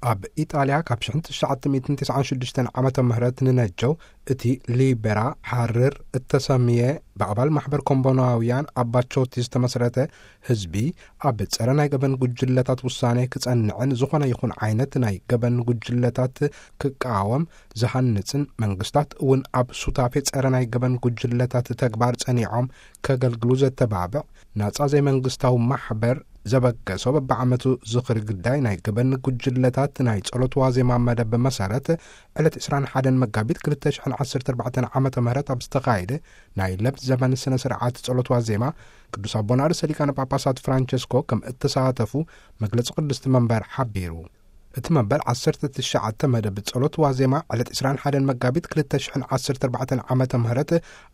ኣብ ኢጣልያ ካብ ሽሕን ትሽዓተ ሚእትን ተስዓን ሽዱሽተን ዓመተ ምህረት ንነጀው እቲ ሊበራ ሓርር እተሰምየ ብኣባል ማሕበር ኮምቦናውያን ኣባቾቲ ዝተመስረተ ህዝቢ ኣብ ጸረ ናይ ገበን ጉጅለታት ውሳኔ ክጸንዕን ዝኾነ ይኹን ዓይነት ናይ ገበን ጉጅለታት ክቃወም ዝሃንጽን መንግስታት እውን ኣብ ሱታፌ ጸረ ናይ ገበን ጉጅለታት ተግባር ጸኒዖም ከገልግሉ ዘተባብዕ ናጻ ዘይመንግስታዊ ማሕበር ዘበገሶ በብዓመቱ ዝኽሪ ግዳይ ናይ ገበን ጉጅለታት ናይ ጸሎት ዋዜማ መደብ መሰረት ዕለት ዕስራን ሓደን መጋቢት ክልተ ሽሕን ዓሰርተ ኣርባዕተን ዓመተ ምህረት ኣብ ዝተኻየደ ናይ ለብ ዘበን ስነ ስርዓት ጸሎት ዋዜማ ቅዱስ ኣቦና ርእሰ ሊቃነ ጳጳሳት ፍራንቸስኮ ከም እተሳተፉ መግለጺ ቅድስቲ መንበር ሓቢሩ። እቲ መበል ዓሰርተ ትሽዓተ መደብ ጸሎት ዋዜማ ዕለት ዕስራን ሓደን መጋቢት ክልተ ሽሕን ዓሰርተ ኣርባዕተን ዓመተ ምህረት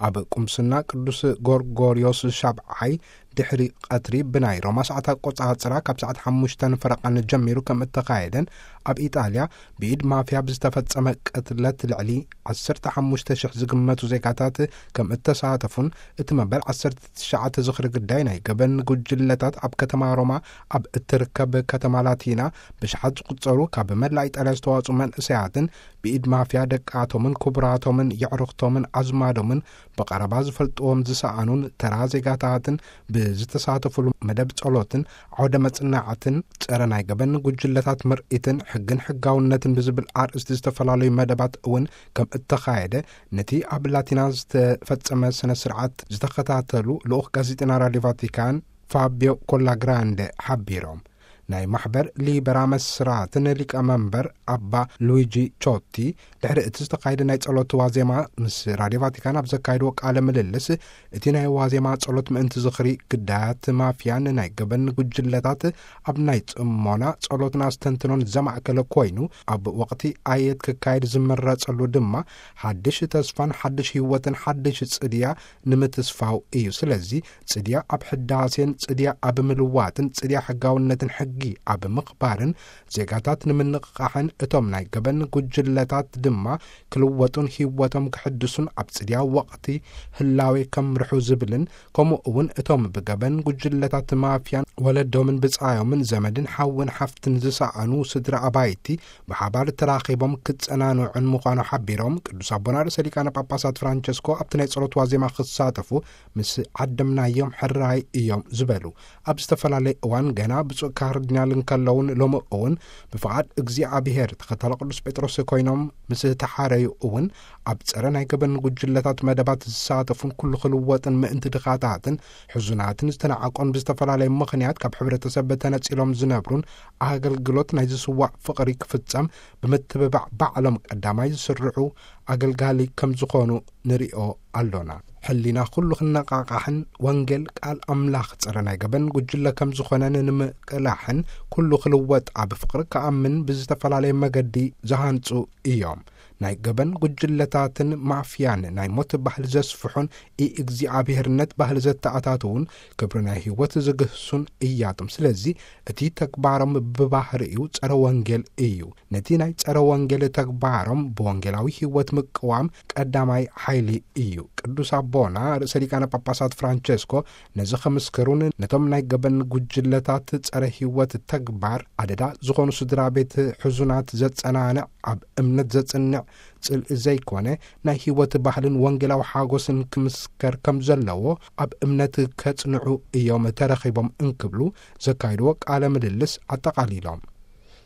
ኣብ ቁምስና ቅዱስ ጎርጎርዮስ ሻብዓይ ድሕሪ ቀትሪ ብናይ ሮማ ሰዓት ኣቆጻጽራ ካብ ሰዓት ሓሙሽተን ፈረቓን ጀሚሩ ከም እተኻየደን ኣብ ኢጣልያ ብኢድ ማፍያ ብዝተፈጸመ ቅትለት ልዕሊ ዓሰርተ ሓሙሽተ ሽሕ ዝግመቱ ዜጋታት ከም እተሳተፉን እቲ መበል ዓሰርተ ትሽዓተ ዝኽሪ ግዳይ ናይ ገበን ጉጅለታት ኣብ ከተማ ሮማ ኣብ እትርከብ ከተማ ላቲና ብሽሓት ዝቁጸሩ ካብ መላእ ኢጣልያ ዝተዋጽኡ መንእሰያትን ብኢድ ማፍያ ደቃቶምን ክቡራቶምን የዕሩኽቶምን ኣዝማዶምን ብቐረባ ዝፈልጥዎም ዝሰኣኑን ተራ ዜጋታትን ብዝተሳተፉሉ መደብ ጸሎትን ዓውደ መጽናዕትን ጸረ ናይ ገበን ጉጅለታት ምርኢትን ሕግን ሕጋውነትን ብዝብል ኣርእስቲ ዝተፈላለዩ መደባት እውን ከም እተኻየደ ነቲ ኣብ ላቲና ዝተፈጸመ ስነ ስርዓት ዝተኸታተሉ ልኡኽ ጋዜጠና ራድዮ ቫቲካን ፋቢዮ ኮላግራንደ ሓቢሮም። ናይ ማሕበር ሊበራ መስራትን ሊቀመንበር ኣባ ሉዊጂ ቾቲ ድሕሪ እቲ ዝተኻየደ ናይ ጸሎት ዋዜማ ምስ ራድዮ ቫቲካን ኣብ ዘካየድዎ ቃለ ምልልስ እቲ ናይ ዋዜማ ጸሎት ምእንቲ ዝኽሪ ግዳያት ማፍያን ናይ ገበን ጉጅለታት ኣብ ናይ ጽሞና ጸሎትን ኣስተንትኖን ዘማእከለ ኮይኑ ኣብ ወቕቲ ኣየት ክካየድ ዝምረጸሉ ድማ ሓድሽ ተስፋን ሓድሽ ህይወትን ሓድሽ ጽድያ ንምትስፋው እዩ። ስለዚ ጽድያ ኣብ ሕዳሴን ጽድያ ኣብ ምልዋጥን ጽድያ ሕጋውነትን ሕጊ ኣብ ምኽባርን ዜጋታት ንምንቕቓሕን እቶም ናይ ገበን ጉጅለታት ድማ ክልወጡን ህይወቶም ክሕድሱን ኣብ ጽድያ ወቕቲ ህላዌ ከምርሑ ዝብልን ከምኡ እውን እቶም ብገበን ጉጅለታት ማፍያን ወለዶምን ብጻዮምን ዘመድን ሓውን ሓፍትን ዝሰኣኑ ስድራ ኣባይቲ ብሓባር ተራኺቦም ክጸናንዑን ምዃኑ ሓቢሮም ቅዱስ ኣቦና ርእሰ ሊቃነ ጳጳሳት ፍራንቸስኮ ኣብቲ ናይ ጸሎት ዋዜማ ክሳተፉ ምስ ዓደምናዮም ሕራይ እዮም ዝበሉ። ኣብ ዝተፈላለየ እዋን ገና ብፁዕ ካርዲናል እንከለውን ሎሚ እውን ብፍቓድ እግዚኣብሔር ተኸታሊ ቅዱስ ጴጥሮስ ኮይኖም ምስ ተሓረዩ እውን ኣብ ጸረ ናይ ገበን ጉጅለታት መደባት ዝሳተፉን ኩሉ ክልወጥን ምእንቲ ድኻታትን ሕዙናትን ዝተናዓቆን ብዝተፈላለየ ምኽንያት ካብ ሕብረተሰብ ተነጺሎም ዝነብሩን ኣገልግሎት ናይ ዝስዋዕ ፍቕሪ ክፍጸም ብምትብባዕ ባዕሎም ቀዳማይ ዝስርዑ ኣገልጋሊ ከም ዝኾኑ ንሪኦ ኣሎና። ሕሊና ኩሉ ክነቓቓሕን ወንጌል ቃል ኣምላኽ ጸረ ናይ ገበን ጉጅለ ከም ዝኾነ ንምቅላሕን ኩሉ ክልወጥ ኣብ ፍቕሪ ክኣምን ብዝተፈላለየ መገዲ ዝሃንጹ እዮም። ናይ ገበን ጉጅለታትን ማፍያን ናይ ሞት ባህሊ ዘስፍሑን ኢእግዚኣብሔርነት ባህሊ ዘተኣታትዉን ክብሪ ናይ ህይወት ዝግህሱን እያቶም። ስለዚ እቲ ተግባሮም ብባህሪኡ ጸረ ወንጌል እዩ። ነቲ ናይ ጸረ ወንጌል ተግባሮም ብወንጌላዊ ህይወት ምቅዋም ቀዳማይ ሓይሊ እዩ። ቅዱስ ኣቦና ርእሰ ሊቃነ ጳጳሳት ፍራንቸስኮ ነዚ ከምስክሩን ነቶም ናይ ገበን ጉጅለታት ጸረ ህይወት ተግባር ኣደዳ ዝኾኑ ስድራ ቤት ሕዙናት ዘጸናንዕ፣ ኣብ እምነት ዘጽንዕ ጽልኢ ዘይኮነ ናይ ህይወት ባህልን ወንጌላዊ ሓጎስን ክምስከር ከም ዘለዎ ኣብ እምነት ከጽንዑ እዮም ተረኺቦም እንክብሉ ዘካይድዎ ቃለ ምልልስ ኣጠቓሊሎም።